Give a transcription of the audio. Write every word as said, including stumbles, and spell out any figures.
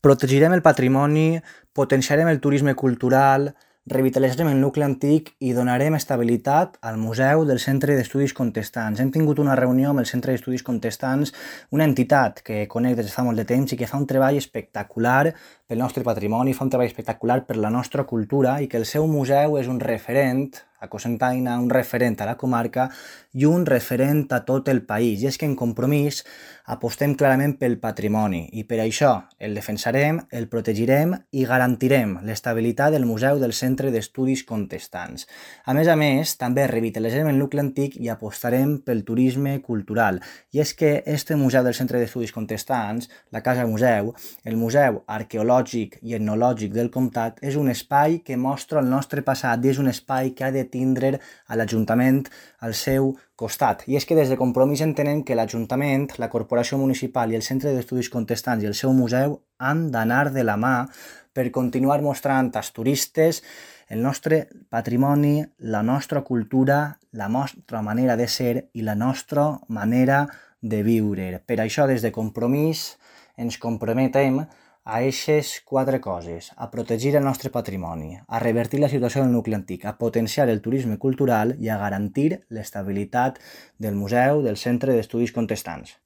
Protegirem el patrimoni, potenciarem el turisme cultural, revitalitzarem el nucli antic i donarem estabilitat al Museu del Centre d'Estudis Contestants. Hem tingut una reunió amb el Centre d'Estudis Contestants, una entitat que conec des de fa molt de temps i que fa un treball espectacular pel nostre patrimoni, fa un treball espectacular per la nostra cultura i que el seu museu és un referent a Cocentaina, un referent a la comarca i un referent a tot el país. I és que en Compromís apostem clarament pel patrimoni i per això el defensarem, el protegirem i garantirem l'estabilitat del Museu del Centre d'Estudis Contestants. A més a més, també revitalitzarem el nucli antic i apostarem pel turisme cultural. I és que este Museu del Centre d'Estudis Contestants, la Casa Museu, el Museu Arqueològic i Etnològic del Comtat, és un espai que mostra el nostre passat i és un espai que ha de tindre a l'Ajuntament al seu costat. I és que des de Compromís entenem que l'Ajuntament, la Corporació Municipal i el Centre d'Estudis Contestants i el seu museu han d'anar de la mà per continuar mostrant als turistes el nostre patrimoni, la nostra cultura, la nostra manera de ser i la nostra manera de viure. Per això, des de Compromís, ens comprometem a eixes quatre coses: a protegir el nostre patrimoni, a revertir la situació del nucli antic, a potenciar el turisme cultural i a garantir l'estabilitat del Museu del Centre d'Estudis Contestants.